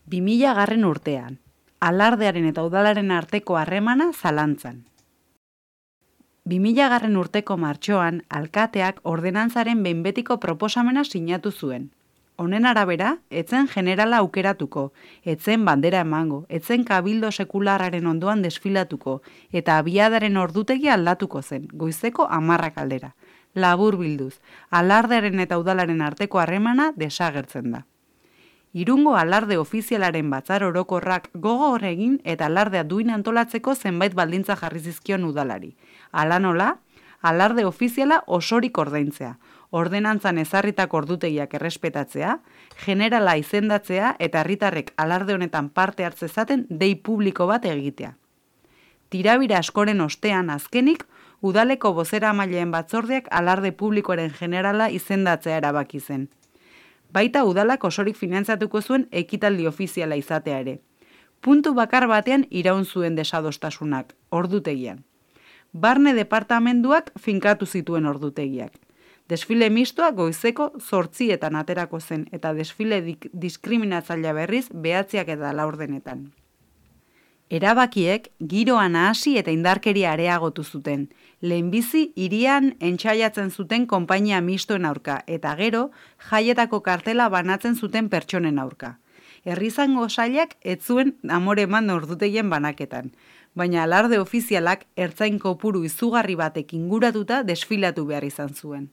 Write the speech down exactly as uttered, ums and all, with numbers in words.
bi mila garren urtean, alardearen eta udalaren arteko harremana zalantzan. bi mila garren urteko martxoan, alkateak ordenantzaren behin betiko proposamena sinatu zuen. Honen arabera, etzen generala aukeratuko, etzen bandera emango, etzen kabildo sekularraren ondoan desfilatuko, eta abiadaren ordutegia aldatuko zen, goizeko hamarrak aldera. Labur bilduz, alardearen eta udalaren arteko harremana desagertzen da. Irungo alarde ofizialaren batzar orokorrak gogor egin eta alardea duin antolatzeko zenbait baldintza jarri zizkion udalari. Hala nola, alarde ofiziala osorik ordaintzea, ordenantzan ezarritako ordutegiak errespetatzea, generala izendatzea eta herritarrek alarde honetan parte hartzezaten dei publiko bat egitea. Tirabira askoren ostean azkenik, udaleko bozeramaileen batzordeak alarde publikoaren generala izendatzea erabaki zen. Baita udalak osorik finantzatuko zuen ekitaldi ofiziala izatea ere. Puntu bakar batean iraun zuen desadostasunak, ordutegian. Barne departamenduak finkatu zituen ordutegiak. Desfile mistoa goizeko zortzietan aterako zen eta desfile diskriminatzailea berriz behatziak eta laurdenetan. Erabakiek giroa nahasi eta indarkeria areagotu zuten. Lehenbizi hirian entsaiatzen zuten konpainia mistoen aurka eta gero jaietako kartela banatzen zuten pertsonen aurka. Herrizango sailak ez zuen amore eman ordutegien banaketan, baina alarde ofizialak ertzain kopuru izugarri batek inguratuta desfilatu behar izan zuen.